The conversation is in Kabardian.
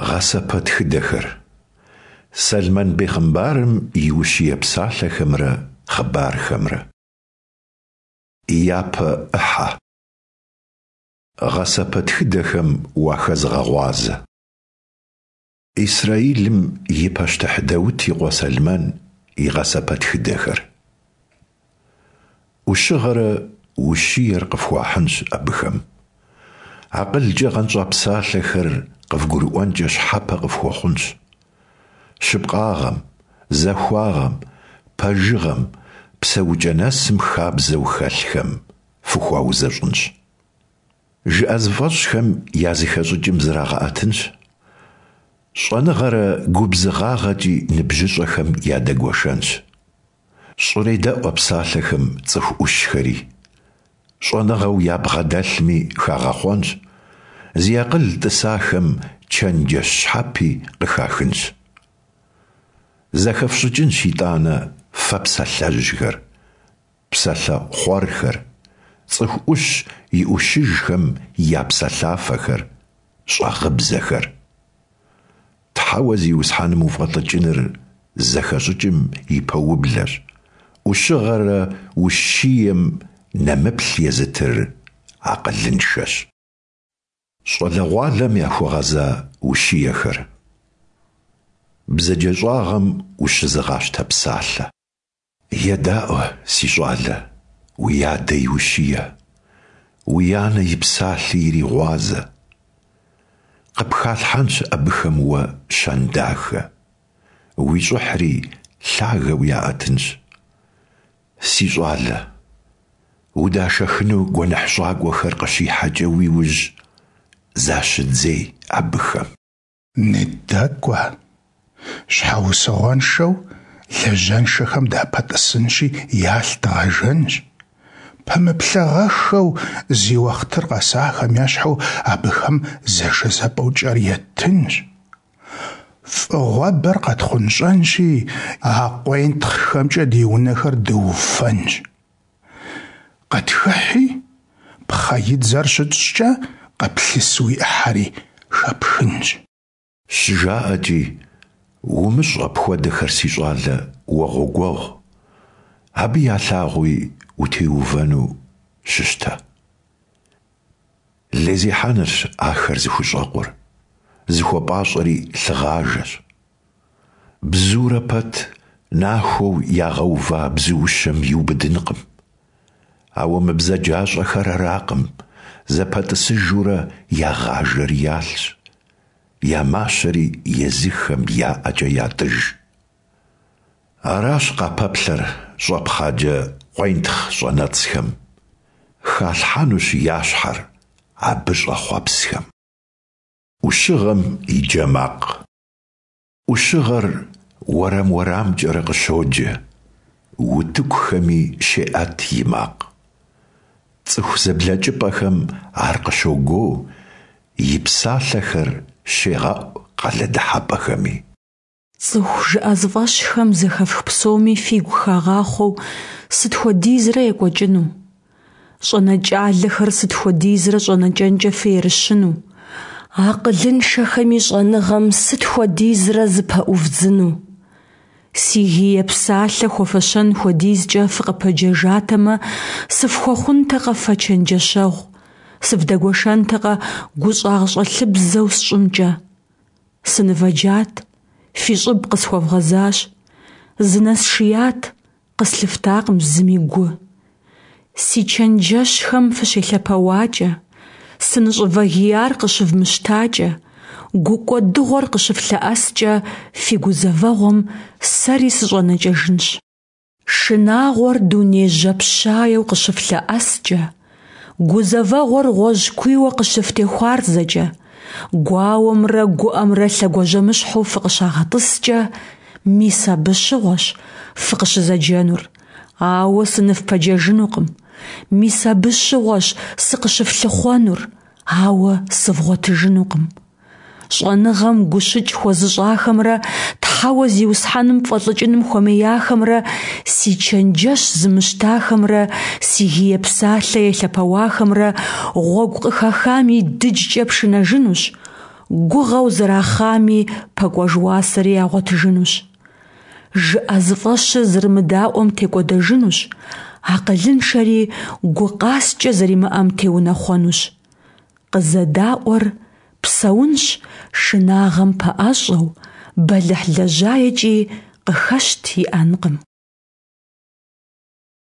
Гъэсэпэтхыдэхэр. Сэлмэн бегъымбарым и ущие псалъэхэмрэ хъыбархэмрэ. Япэ ӏыхьэ. Гъэсэпэтхыдэхэм уахэзыгъэгъуазэ. Исрэилым и пащтыхь Даут и къуэ Сэлмэн и гъэсэпэтхыдэхэр. ӏущыгъэрэ ущиер къыфхуахьынщ абыхэм. Акъылкӏэ гъэнщӏа псалъэхэр къывгурыӏуэнкӏэ щхьэпэ къыфхуэхъунщ. Щыпкъагъэм, захуагъэм, пэжыгъэм, псэукӏэ нэсым хабзэу хэлъхэм фыхуаузэщӏынщ. Жыӏэзыфӏэщхэм я зэхэщӏыкӏым зрагъэӏэтынщ, щӏэныгъэрэ губзыгъагъэкӏи ныбжьыщӏэхэм ядэгуэшэнщ. Щӏредэӏу а псалъэхэм цӏыху ӏущхэри, щӏэныгъэу ябгъэдэлъми хагъэхъуэнщ, зи акъыл тӏысахэм чэнджэщ щхьэпи къыхахынщ. Зэхэфщӏыкӏынщ итӏанэ фэ псалъэжьхэр, псалъэ хъуэрхэр, цӏыху ӏущ и ӏущыжхэм я псэлъафэхэр, щӏагъыбзэхэр. Тхьэуэ Зиусхьэным уфӏэлӏыкӏыныр зэхэщӏыкӏым и пэублэщ, ӏущыгъэрэ ущием нэмыплъ езытыр акъылыншэщ. Щӏалэгъуалэм яхуэгъэза ущиехэр. Бзаджэщӏагъэм ущызыгъащтэ псалъэ. Едаӏуэ, си щӏалэ, уи адэ и ущие, уи анэ и псалъи иригъуазэ. Къыпхалъхьэнщ абыхэм уэ щэн дахэ, уи щӏыхьри лъагэу яӏэтынщ. Си щӏалэ, удашэхыну гуэныхьщӏакӏуэхэр къыщихьэкӏэ уи ужь, защыдзей абыхэм. Ныдэкӏуэ. Щхьэусыгъуэншэу лажьэншэхэм дапэтӏысынщи, ялъ дгъэжэнщ. Пэмыплъагъэххэу зи уэхътыр къэсахэм ещхьу абыхэм зэшэзэпӏэу кӏэр еттынщ. Фӏыгъуэбэр къэтхъунщӏэнщи, а къуентхъхэмкӏэ ди унэхэр дыуфэнщ. Къытхыхьи, пхъэидзэр щытщӏкӏэ къыплъыс уи ӏыхьэри хэпхынщ. Щыжаӏэкӏи, умыщӏ апхуэдэхэр, си щӏалэ, уэ гъуэгуэгъу, абы я лъагъуи утеувэну щыщтэ. Лейзехьэнырщ ахэр зыхущӏэкъур, зыхуэпӏащӏэри лъыгъажэщ. Бзурэ пэт нахуэу ягъэува бзуущэм иубыдынкъым. Ауэ мы бзаджащӏэхэр аракъым, зэпэтӏысыжурэ ягъажэр ялъщ, я мащэри езыхэм я ӏэкӏэ ятӏыж. Аращ къапэплъэр щӏэпхъаджэ къуентхъ щӏэнэцӏхэм, халъхьэнущ я щхьэр абы щӏэхъуэпсхэм. ӏущыгъэм и джэ макъ. ӏущыгъэр уэрам-уэрамкӏэрэ къыщоджэ, утыкухэми щеӏэт и макъ. Цӏыху зэблэкӏыпӏэхэм ар къыщогуо, и псалъэхэр щегъэӏу къалэ дыхьэпӏэхэми. Цӏыху жыӏэзыфӏэщхэм зэхэфх псоми фигу хагъахъуэу сыт хуэдизрэ екӏуэкӏыну? Щӏэнэкӏалэхэр сыт хуэдизрэ щӏэнэкӏэнкӏэ фыерыщыну? Акъылыншэхэми щӏэныгъэм сыт хуэдизрэ зыпэӏувдзыну? Си гие псалъэ хуэфэщэн хуэдизкӏэ фыкъыпэджэжатэмэ, сыфхуэхъунтэкъэ фэ чэнджэщэгъу, сывдэгуэшэнтэкъэ гущӏагъщӏэлъыбзэу сщӏымкӏэ? Сынывэджат, фи щӏыб къысхуэвгъэзащ, зынэсшият, къыслъыфтакъым зыми гу. Си чэнджэщхэм фыщелъэпэуакӏэ, сыныщӏывэгияр къыщывмыщтакӏэ, гукӏуэдыгъуэр къыщыфлъэӏэскӏэ фи гузэвэгъуэм сэри сыщӏэнэкӏэжынщ. Шынагъуэр дуней жьапщаеу къыщыфлъэӏэскӏэ, гузэвэгъуэр гъуэжькуийуэ къыщыфтехуарзэкӏэ, гуауэмрэ гуӏэмрэ лъэгуажьэмыщхьэу фыкъыщагъэтӏыскӏэ, мис абы щыгъуэщ фыкъыщызэджэнур, ауэ сыныфпэджэжынукъым. Мис абы щыгъуэщ сыкъыщыфлъыхъуэнур, ауэ сывгъуэтыжынукъым. Щӏэныгъэм гущыкӏ хуэзыщӏахэмрэ Тхьэуэ Зиусхьэным фӏэлӏыкӏыным хуэмеяхэмрэ си чэнджэщ зымыщтахэмрэ си гие псалъэ елъэпэуахэмрэ гъуэгу къыхахам и дыджкӏэ пшынэжынущ. гугъэу зэрахъами пэкӏуэж уасэри ягъуэтыжынущ. Жыӏэзыфӏэщыр зэрымыдаӏуэм текӏуэдэжынущ, акъылыншэри гу къаскӏэ зэримыӏэм теунэхъуэнущ. Къызэдаӏуэр псэунщ шынагъэм пэӏэщӏэу, бэлыхьлэжьаекӏи къыхэщт иӏэнкъым.